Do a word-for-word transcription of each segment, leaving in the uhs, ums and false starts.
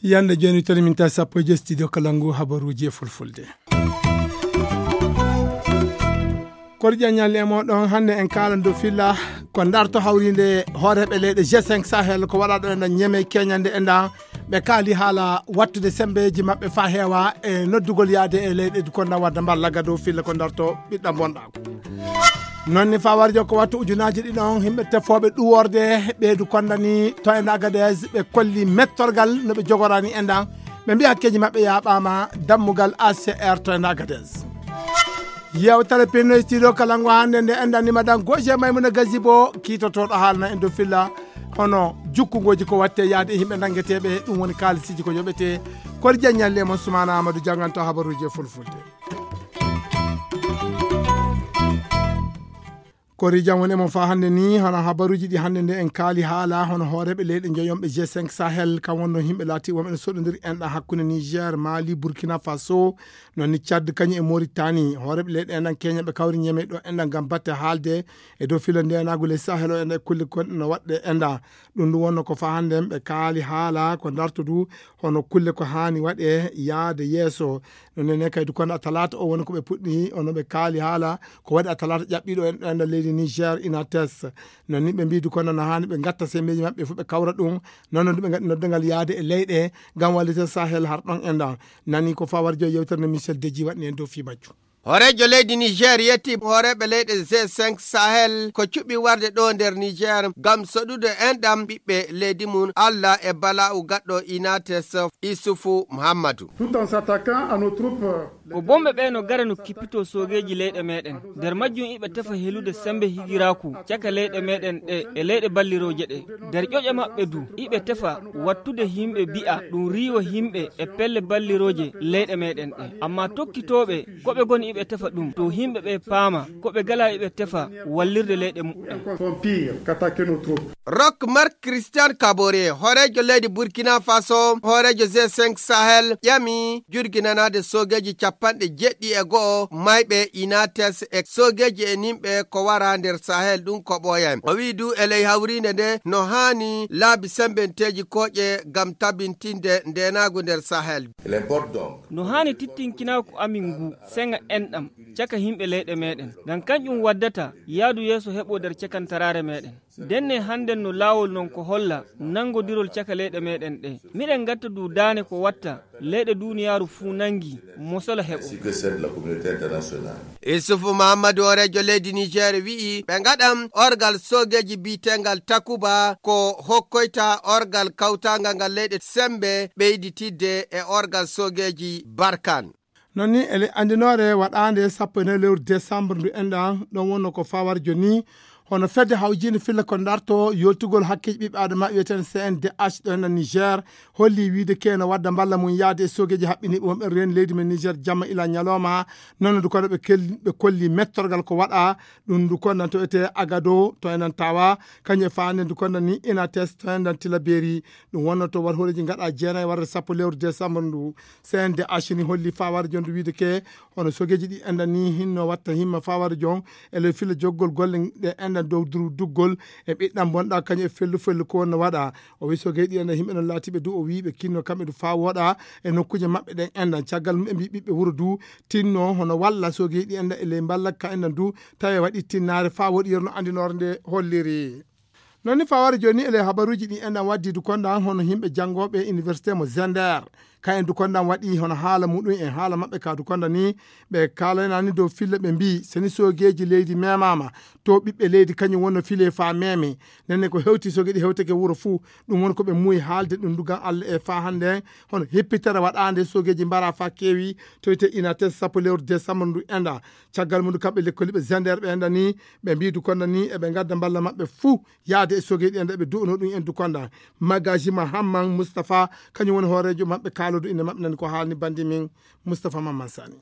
Yande joni toni min tawi sappo e joyi studio Kalangu, habaruji e fulfulde. Kordial ñalle e moɗon. Hannde en kaalan dow filla ko darto hawrinde hooreeɓe leyɗe G cinq Sahel ko waɗaɗo e nder Ñeme keñande e nda ɓe kaali haala wattude sembeeji maɓɓe fa heewa e noddugol yaade e leyɗe du konda wadda mballa ga dow filla ko darto ɓiɗɗa bonɗaako. Noon ni fawarjo ko wattu ujunaaji ɗiɗon yimɓe tefooɓe ɗuworde ɓeydu kondani to e Agadez ɓe kolli mettorgal no ɓe jogorani e nda ɓe mbiya hakkeeji maɓɓe yaaɓaama dammugal A C R to e Agadez. Yewtere pinno e studio Kalangu hannde nde enɗan ni madan Goje Maymuna Gazibo kiitotoɗo haalna en dow filla hono jukkungoji ko watte yaade e yimɓe nangeteɓe ɗum woni kaalisiiji ko yoɓete. Kori jaññalle e mon Sumana Amadou jannganto habaruji e fulfulde. Kori jam woni e mon fa hannde ni hono habaruji ɗi hannde nde en kaali haala hono hooreɓe leyɗe joyonɓe G cinq Sahel kam wonno yimɓe laati wonɓe no soɗodiri enɗa hakkunde Niger, Mali, Burkina Faso, noon ni Tchad kañum e Mauritanie. Hooreeɓe leyɗe enɗan keña ɓe kawri ñeme ɗo enɗan ngam batte haalde e dow filo ndenagu ley Sahel o enɗan e kulle gonɗe no waɗɗe enɗan. Ɗum ɗum wonno ko fa hannde ɓe kaali haala ko darto du hono kulle ko haani waɗe yaade yeeso. No nene kay du kono a talaata o woni ko ɓe puɗɗi ono ɓe kaali haala ko waɗi a talaata ƴaɓɓiɗo enɗan leydi Niger Inates. Noon ni ɓe mbiyi du kono no haani ɓe gatta sembeeji maɓɓe fof ɓe kawra ɗum. Noon no ɓe gaɗi noddangal yaade e leyɗe ngam wallita Sahel har ɗon enɗan. Nani ko fawar joyi yewtere no Michel Deji waɗni en dow fii majjum. Hooreejo leydi Niger yetti hooreeɓe leyɗe G cinq Sahel ko cuɓi warde ɗo nder Niger ngam soɗude enɗam ɓiɓɓe leydi mum Allah e bala'u gaɗɗo Inates Isufu Muhammadu. Tout en s'attaquant à nos troupes. Ko bomɓe ɓe no gara no kippito soogeeji leyɗe meɗen. Nder majjum iɓe tefa helude sembe higiraaku caka leyɗe meɗen ɗe e leyɗe ballirooje ɗe. Nder ƴoƴe maɓɓe du, iɓe tefa wattude yimɓe bi'a ɗum riiwa yimɓe e pelle ballirooje leyɗe meɗen ɗe. Amma tokkitooɓe ko ɓe goni iɓe tefa ɗum, to yimɓe ɓe paama ko ɓe gala iɓe tefa wallirde leyɗe muɓɓen. Sont pires qu'attaquer nos troupes. Rock Mark Christian Kabore, hooreejo leydi Burkina Faso, hooreejo G cinq Sahel, ƴami jurginanaade soogeeji capanɗe jeɗɗi e go'o mayɓe Inates e soogeeji e nimɓe ko wara nder Sahel ɗum ko ɓooyani. O wi'i du e ley hawriinde nde no haani laabi sembenteeji kooƴe ngam tabintinde ndeenaagu nder Sahel. Il importe donc. No haani tittinkinaaku amin ngu seŋa enɗam caka yimɓe leyɗe meɗen. Ngam kanƴum waddata yaadu yeeso heɓo nder cakantaraare meɗen. Ndenne hannden no laawol non ko holla nanngodirol caka leyɗe meɗen ɗe. Miɗen ngatta du daane ko watta leyɗe duuniyaaru fuu nanngi mosola heɓo. Ainsi que celle de la communauté internationale. Isufu Muhammadu hooreejo leydi Niger wi'i ɓe ngaɗan orgal soogeeji bi'eteengal Takuba ko hokkoyta orgal kawtaangal ngal leyɗe sembe ɓeyditidde e orgal soogeeji Barkan. Noon ni ele anndinoore waɗaande sappo e nayi lewru décembre ndu enɗan ɗon wonno ko fawar joni hono fedde hawjiinde filla ko darto yoltugol hakkeeji ɓiɓɓe adama wiyeten C N D H ɗo enɗan Niger holli wiide keno wadda mballa mum yaade e soogeeji haɓɓiniiɓe wonɓe reen leydi men Niger jamma ila ñalawma. Noon ndu kono ɓe kel- ɓe kolli mettorgal ko waɗa ɗum ndu kondan to etee Agado to enɗan tawa kañum e faande ndu kondan ni Inates to enɗan Tilaberi. Ɗum wonno to war hooreeji ngaɗa jeenayi warde sappo lewru décembre ndu. C N D H ni holli fawar jon ndu wiide ke hono sogeeji ɗi enɗan ni hinno watta himma fawar jon e ley filla joggol golle ɗe enɗan dow duru duggol e ɓiɗɗan bonɗa kañum e fellu fellu ko wonno waɗa. O wi sogeeji ɗi enɗan yimɓe non laatiɓe du o wi ɓe kinno kamɓe du fa woɗa e nokkuuje maɓɓe ɗen enɗan caggal mum ɓe mbi ɓiɓɓe wuro du tinno hono walla sogeeji ɗi enɗan e ley mballa ka enɗan du tawi waɗi tinnaare fa woɗi yerno andinore nde holliri. Noon ni faware jooni e ley habaruuji ɗi enɗan waddi du konda hono yimɓe janngooɓe université mo Zender. Ka en du konda waɗi hono haala muɗum en haala maɓɓe ka du konda ni ɓe kaalanani dow filla ɓe mbi seni soogeeji leydi memama to ɓiɓɓe leydi kañum wonno file fa meme. Nenne ko hewti soogeeji hewtake wuro fuu ɗum woni ko ɓe muuyi haalde ɗum du gam Allah e fa hannde hono hippitere waɗaande soogeeji mbara fa keewi to wiyte inates sappo lewru décembre ndu enɗa. Caggal mum du kamɓe lekkoliiɓe Zender ɓe enɗa ni ɓe mbi du konda ni eɓe ngadda mballa maɓɓe fuu yaade e soogeeji ɗi enɗa ɓe du'uno ɗum en du konda. Magaji Mahamman Mustapha kañum woni hooreejo maɓɓe ka Alodu inde maɓɓe nani ko haalni bandi min Mustapha Mamman Sani.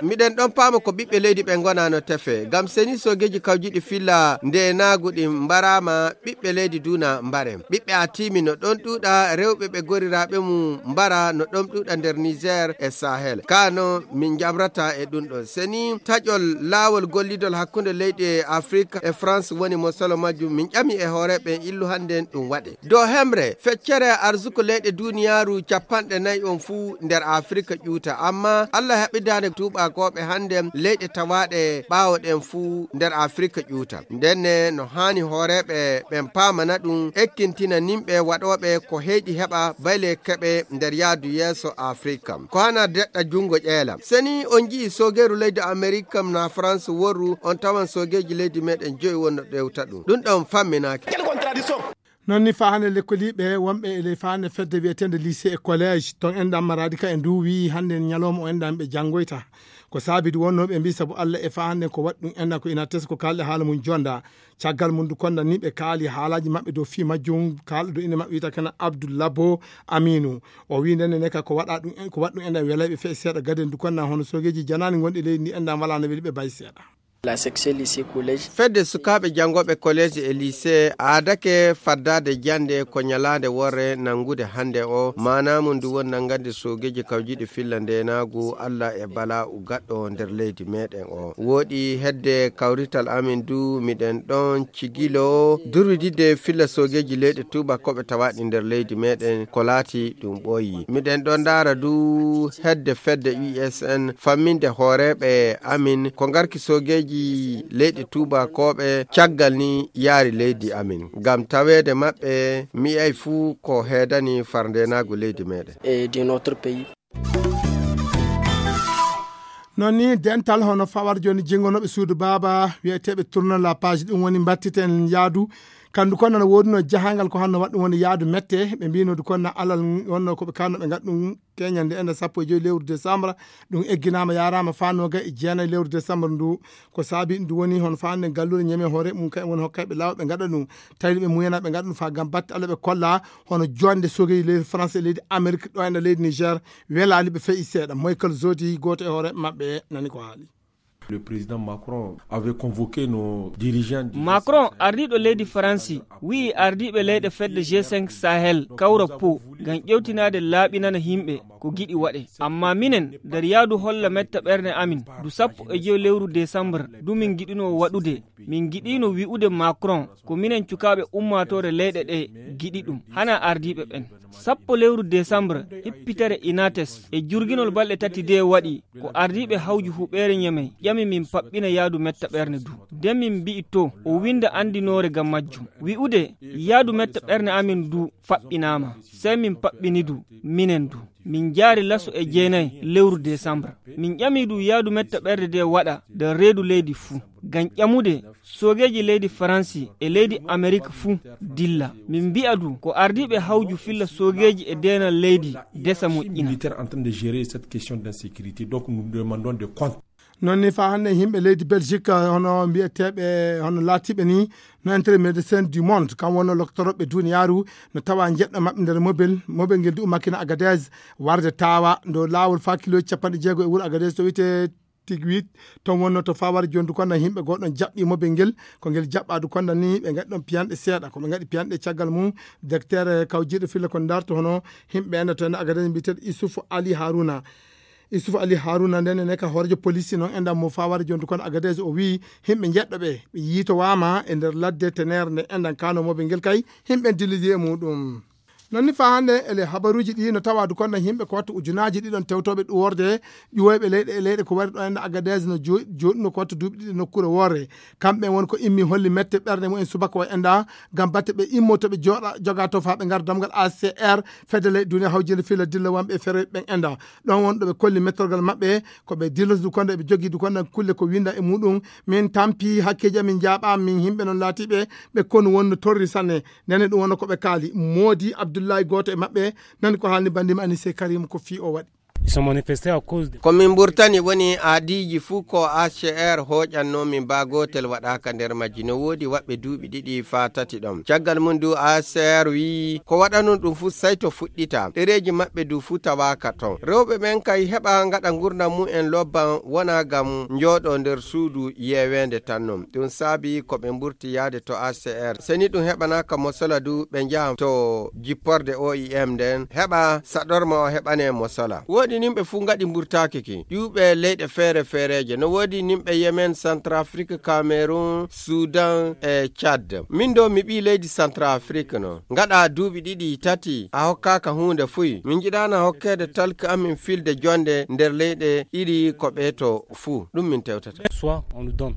Miɗen ɗon paama ko ɓiɓɓe leydi ɓe ngonano tefe. Ngam seni soogeeji kawjiɗi filla ndeenaagu ɗin mbaraama, ɓiɓɓe leydi duna mbaren. Ɓiɓɓe Atimi no ɗon ɗuuɗa, rewɓe ɓe goriraaɓe mum mbara no ɗon ɗuuɗa nder Niger e Sahel. Kano min jaɓrata e ɗum ɗon. Seni taƴol laawol gollidol hakkunde leyɗe Afrika e France woni mo solo majjum. Min ƴami e hooreeɓe illu hannden ɗum waɗe. Dow hemre, feccere arsuko leyɗe duniyaaru capanɗe nayi on fuu nder Afrika ƴuuta. Amma Allah haɓidaande tuubakooɓe hannden leyɗe tawaaɗe ɓaawo ɗen fuu nder Afrika ƴuuta. Ndenne no haani hooreeɓe ɓen paamana ɗum, ekkintina nimɓe waɗooɓe ko heyɗi heɓa bayle keɓe nder yaadu yeeso Afrika. Ko hana deɗɗa junngo ƴeela. Seni on nji'i soogeeru leydi Amerika na France worru, on tawan soogeeji leydi meɗen joyi wonno ɗewta ɗum. Ɗum ɗon famminaaki. Non ni faa hannde lekkoliiɓe wonɓe e ley faa hannde fedde wiyeteende lycée et collège ton enɗan maraadi ka e ndu wi'i hannde ñalooma o enɗan ɓe janngoyta. Ko saabidi wonnoo ɓe mbii sabu Alla e faa hannde ko waɗi ɗum enɗan ko ina teskoo kaalɗe haala mum jonda. Caggal mum du konda ni ɓe kaali haalaaji maɓɓe dow fii majjum kaalɗo dow inde maɓɓe wiyta kana Abdul Labo Aminu. O wii ndenne ne ka ko waɗa ɗum en, ko waɗi ɗum enɗan welayɓe fee seeɗa gaden du konda hono soogeeji janaani gonɗi leydi ndi enɗan walaa no weli ɓe bay seeɗa. La section lycée collège. Fedde sukaaɓe janngooɓe kolleeji e liisee aadake faddaade jannde ko ñalaande worre nanngude hannde o. Maanaa mum ndu woni nanngande soogeeji kawjiiɗi filla ndeenaagu Alla e balaa u gaɗɗo nder leydi meeɗen o. Wooɗi hedde kawrital amin du miɗen ɗon cigilo durwididde filla soogeeji leyɗe tuubakooɓe tawaaɗi nder leydi meeɗen ko laati ɗum ɓooyi. Miɗen ɗon ndaara du hedde fedde U S N famminde hooreeɓe amin ko ngarki soogeeji leyɗe tuubakooɓe caggal ni yaari leydi amin. Ngam taweede maɓɓe mi yi'ay fuu ko heedani far ndeenaagu leydi meeɗen. Et de notre pays. Non ni dental hono fawar jooni jingonooɓe suudu baaba wiyeteeɓe tournant la page ɗum woni mbattiten yaadu kandu kon nana woodunoo jahangal ko hanno waɗɗum woni yaadu mette ɓe mbinodu kon na alal wonno ko ɓe kanno ɓe ngaɗ ɗum keñande enda sappo e joyi lewru décembre. Ɗum egginaama yaaraama faa noogay e jeenayi lewru décembre ndu. Ko saabi ndu woni hono faa hannde galluure ñeme hoore mum kay woni hokkayɓe laawol ɓe ngaɗa ɗum. Tawi ɓe muyana ɓe ngaɗa ɗum faa ngam batte Allah ɓe kolla hono joonde sogey leydi France e leydi Amérique ɗo ena leydi Niger. Welaali ɓe feyi seeɗa. Michael Zodi gooto e hoore maɓɓe nani ko haali. Le président Macron avait convoqué nos dirigeants du Macron ardiiɗo leydi Faransi wi'i ardiiɓe leyɗe fedde G cinq Sahel kawra po ngam ƴewtinaade laaɓinana yimɓe ko giɗi waɗe. Amma minen nder yaadu holla metta ɓernde amin du sappo e joyo lewru décembre du min giɗuno waɗude. Min giɗino wi'ude Macron ko minen cukaaɓe ummaatoore leyɗe ɗe giɗi ɗum hana ardiiɓe ɓen. Sappo lewru décembre hippitere inates e jurginol balɗe tati de waɗi ko ardiiɓe hawju huɓeere ñemey ƴami min paɓɓina yaadu metta ɓernde du. De min mbi'i to o winda andinoore ngam majjum wi'ude yaadu metta ɓernde amin du faɓɓinaama. Sey min paɓɓini du minen du min jaari laso e jeenayi lewru décembre. Min ƴami du yaadu metta ɓernde de waɗa nder reedu leydi fuu ngam ƴamude soogeeji leydi Faransi e leydi Amerik fuu dilla. Min mbi'a du ko ardiiɓe hawju filla soogeeji e deenal leydi desa moƴƴina. Militaire en train de gérer cette question d'insécurité. Donc nous demandons des comptes. Non ni faa hannde yimɓe leydi Belgique hono mbiyeteeɓe hono laatiiɓe ni no entere médecin du monde kam wonno loktorooɓe duniyaaru no tawa jeɗɗo maɓɓe nder mobel mobel ngel du ummakina Agadez warde tawa ndo laawol faa kilooji capanɗe jeego e wuro Agadez to wiyte Tigwit. Ton wonno to fawar jondu konda yimɓe goo ɗon jaɓɓi mobel ngel ko ngel jaɓɓaadu konda ni ɓe ngaɗi ɗon piyanɗe seeɗa ko ɓe ngaɗi piyanɗe caggal mum. Docteur kawjiiɗo filla ko ndarto hono yimɓe enda to enda Agadez mbiyeteeɗo Issouf Ali Haruna. Issouf Ali Haruna nden ene ka hoorejo police noon enɗan mo fawar jondu konda Agadez o wii yimɓe jeɗɗo ɓe ɓe yiitowaama e nder ladde tenere nde enɗan kano mobel ngel kay yimɓe dillidi e muɗum. Non ni faa hannde ele habaruuji ɗi no tawa du konda yimɓe ko wattu ujunaaji ɗiɗon tewtooɓe ɗuworde ƴuwoyɓe leyɗe e leyɗe ko wari ɗo enda Agadez no jooɗino ko wattu duuɓi ɗiɗi nokkuure worre. Kamɓe won ko immi holli mette ɓernde mumen subaka o enda ngam batte ɓe immo to ɓe jooɗa joga to faa ɓe ngar damgal A C R fedde leyɗe duniya hawjinde filla dilla wonɓe e feroyɓe ɓen enda. Ɗon won ɗo ɓe kolli mettorgal maɓɓe ko ɓe dilloto du konda eɓe jogii du konda kulle ko winda e muɗum. Min tampi hakkeeji amin njaaɓa min yimɓe non laatiiɓe ɓe konu wonno torri sanne. Nene ɗum wonno ko ɓe kaali moodi Abdullahi gooto e maɓɓe nani ko haalni bandima Anise Karim ko fii o waɗi. Ils sont manifestés à cause de... Ko min mburtani woni aadiiji fuu ko A C R hooƴanno min baa gootel waɗaaka nder majji. No woodi waɗɓe duuɓi ɗiɗi faa tati ɗon. Caggal mum du A C R wi'i ko waɗanoo ɗum fuu sey to fuɗɗita. Ɗereeji maɓɓe du fuu tawaaka ton. Rewɓe ɓen kay heɓa ngaɗa ngurndan mum en lobban wona ngam njooɗoo nder suudu yeeweende tan non. Ɗum saabi ko ɓe mburti yaade to A C R. Seni ɗum heɓanaaka mosola du ɓe njaha to jipporde O I M nden heɓa saɗorma o heɓane mosola. Woodi nimɓe fuu ngaɗi mburtaaki ki. Ƴuuɓe leyɗe feere feereeje. No woodi nimɓe Yemen, Centrafrique, Cameroun, Sudan e Tchad. Min do mi ɓii leydi Centrafrique no. Ngaɗa duuɓi ɗiɗi tati a hokkaaka huunde fuy. Min njiɗaana hokkeede talki amin filde jonde nder leyɗe ɗiɗi ko ɓeeto fuu. Ɗum min tewtata. Soit on nous donne.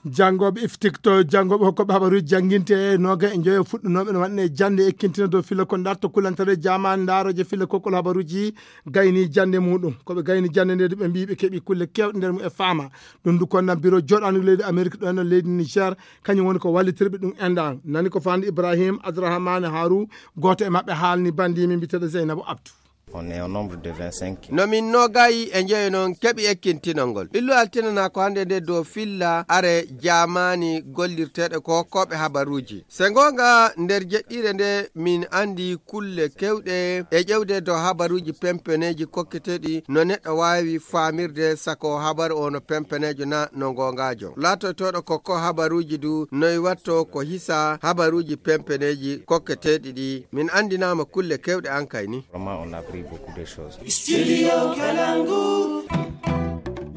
Janngooɓe iftikto, janngooɓe hokkooɓe habaruuji jannginte e nooga e njoyo fuɗɗunooɓe no waɗne jannde ekkintina dow filla ko ndarto kulantare jaman ndaarooje filla kokkol habaruuji gayni jannde muɗum. Ko ɓe gayni jannde nde ɓe mbii ɓe keɓi kulle kewɗe nder mum e faama. Ɗum du konnan biro joɗaandu leydi Amerik ɗo e leydi Niger, kañum woni ko wallitirɓe ɗum enɗan. Nani ko fandi Ibrahim Abdourahmane Haru, gooto e maɓɓe haalni bandi min mbiteɗo Zeynabou Abdou. On est au nombre de vingt-cinq. No min nogayi e njeyo non keɓi ekkintinol ngol. Ɓillu altinana ko hannde nde dow filla are jaamaani gollirteeɗo ko hokkooɓe habaruuji. Se ngoonga nder jeɗɗire nde min anndi kulle kewɗe e ƴewde dow habaruuji pempeneeji kokketeeɗi no neɗɗo waawi faamirde sako habaru o no pempeneejo na no ngoongaajo. Laatoytooɗo ko ko habaruuji du noy watto ko hisa habaruuji pempeneeji kokketeeɗi ɗi. Min anndinaama kulle kewɗe an kay ni. Vraiment, on a appris beaucoup de choses. Studio Kalangu.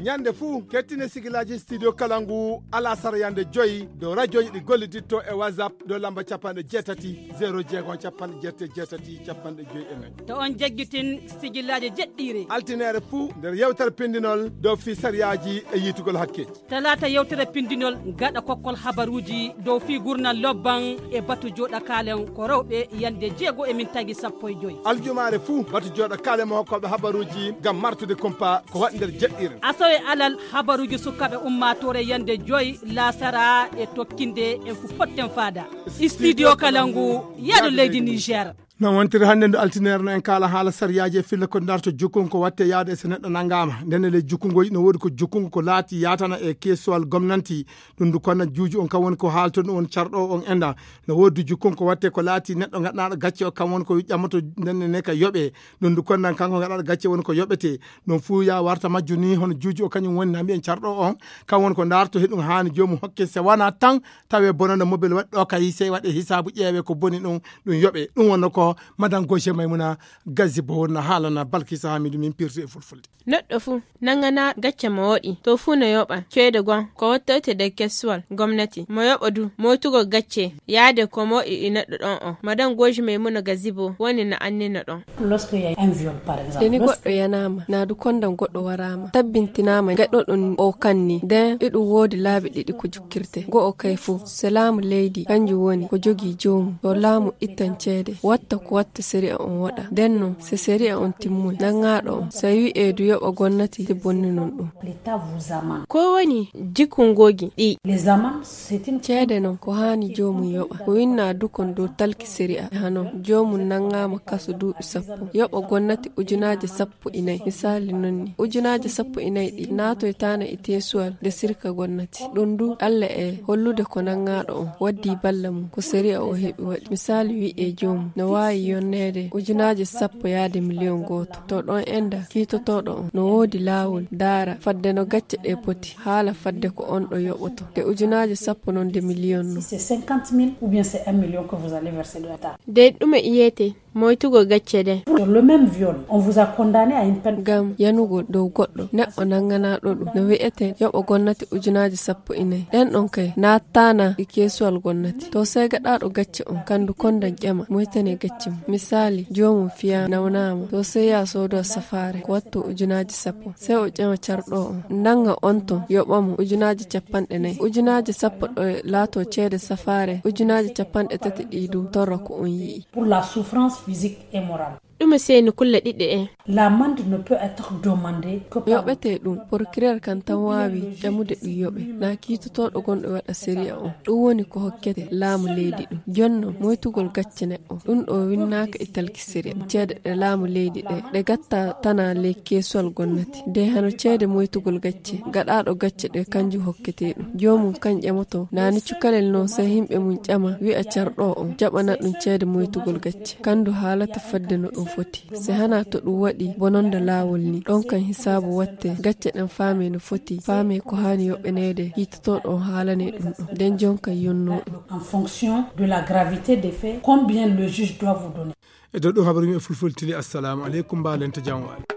Ñande fuu, kettine sigilaaji Studio Kalangu alasara yande joyi dow rajooji ɗi golliditto e WhatsApp dow lamba capanɗe jeetati, zero jeegom, capanɗe jeetati, jeetati, capanɗe joyi e nayi. To on jaggitin sigilaaji jeɗɗiire. Altineere fuu nder yewtere pindinol dow fii sariyaaji e yiitugol hakkeeji. Talaata yewtere pindinol gaɗa kokkol habaruuji dow fii gurnal lobban e batu jooɗa kaalen ko rewɓe yande jeego e min tagi sappo e joyi. Aljumaare fuu batu jooɗa kaalen mo hokkooɓe habaruuji ngam martude kumpa ko waɗi nder jeɗɗire. Asawe alal habaruuji sukaaɓe ummaatoore yande joyi laasara e tokkinde en fu potten faada. Studio Kalangu, yaadu leydi Niger. No wontiri hannde ndu altine no en kaala haala sariyaaji e filla ko darto jukkungo ko watte yaade e so neɗɗo nanngaama. Nden e ley jukkungoji no woodi ko jukkungo ko laati yaatana e keesuwal gomnanti. Ɗum ndu konna juuju on kam woni ko haalto ɗum woni carɗo on enda. No woodi jukkungo ko watte ko laati neɗɗo gaɗanaaɗo gacce o kam woni ko ƴammoto nden ne ka yoɓe. Ɗum ndu konnan kanko gaɗaaɗo gacce woni ko yoɓete. Ɗum fuu ya warta majju ni hono juuju o kañum woni na mbiyen carɗo on. Kam woni ko darto heɗum haani joomum hokke se wana tan tawe bonande mobel waɗi ɗo kay sey waɗe hisaabu ƴeewe ko boni ɗum ɗum yoɓe. Ɗum wonno ko Madame Gaucher Maimouna Gazibo wonna haalana Balkisa Hamidu min pirti e fulfulde. Neɗɗo fuu nangana gacce mo waɗi to fuu no yoɓa ceede gon ko wattoyte nder kesuwal gomnati mo yoɓa du moytugol gacce yaade ko mo waɗi e neɗɗo ɗon on. Madame Gaucher Maimouna Gazibo woni no annina ɗon. Lorsqu'il y a un viol, par exemple, seni lorsque goɗɗo yanaama naa du kondan goɗɗo waraama tabbintinaama gaɗɗo ɗum o kanni nden iɗum woodi laabi ɗiɗi ko jukkirte. Go'o kay fof so laamu leydi kanjum woni ko jogii joomum to laamu ittan ceede watta ko watta sariya on waɗa nden non so sariya on timmoy nangaaɗo on so wi'ee du yoɓa gomnati si bonninon ɗum. Ko woni jikku ngoogi ɗi? Ceede non ko haani joomum yoɓa ko winnaa du kon dow talki sariya e hano joomum nanngaama kaso duuɓi sappo yoɓa gomnati ujunaaje sappo e nayi misaali non ni ujunaaje sappo e nayi ɗi naatoytaana e teesuwal nde sirka gomnati ɗum du alla e hollude ko nanngaaɗo on waddii balla mum ko sariya o heɓi waɗi misaali wi'ee joomum no waawi yonneede ujunaaje sappo yaade miliyon gooto to ɗon enda kiitotooɗo on no woodi laawol daara fadde no gacce ɗee poti haala fadde ko on ɗo yoɓoto nde ujunaaje sappo non nde miliyon non. C'est cinquante mille ou bien c'est un million que vous allez verser de l'État. Dey ɗume iyete moytugol gacce ɗen? Pour le même viol, on vous a condamné à une peine. Ngam yanugol dow goɗɗo neɗɗo nannganaaɗo ɗum no wi'ete yoɓa gomnati ujunaaji sappo e nayi ɗen ɗon kay naataana e keesuwal gomnati to sey gaɗaaɗo gacce on kandu kondan ƴama moytane gacce mum misaali joomum fiyaama nawnaama to sey yaa soodo safaare ko watto ujunaaji sappo sey o ƴama carɗo on nannga on ton yoɓa mo ujunaaji capanɗe nayi ujunaaji sappo ɗo laato ceede safaare ujunaaji capanɗe tati ɗi du torra ko on yi'i. Pour la souffrance physique et morale. Ɗume seyni kulle ɗiɗi ɗen? L'amende ne peut être demandée que par yoɓete ɗum. Procureur kan tan waawi ƴamude ɗum yoɓe. Naa kiitotooɗo gonɗo waɗa sériya on. Ɗum woni ko hokkete laamu leydi ɗum. Jonno moytugol gacce neɗɗo. Ɗum ɗo winnaaka e talki sériya. Ceede ɗe laamu leydi ɗe, ɗe gatta tana ley keesuwal gonnati. De hano ceede moytugol gacce. Gaɗaaɗo gacce ɗe kanjum hokkete ɗum. Joomum kan ƴamoto. Naani cukalel noon sey yimɓe mum ƴama wi'a carɗo on jaɓana ɗum ceede moytugol gacce. Kandu haalata fadde no ɗum foti. Se hana to ɗum waɗi bononda laawol ni, ɗon kan hisaabu watte, gacce ɗen faame no foti, faame ko haani yoɓeneede, yiitotooɗo on haalane ɗum ɗon. Nden jonka yonnoo ɗum. En fonction de la gravité des faits, combien le juge doit vous donner. E dow ɗum habaru men fulfulde tili. Assalamu aleykum, mbaalenta jam waali.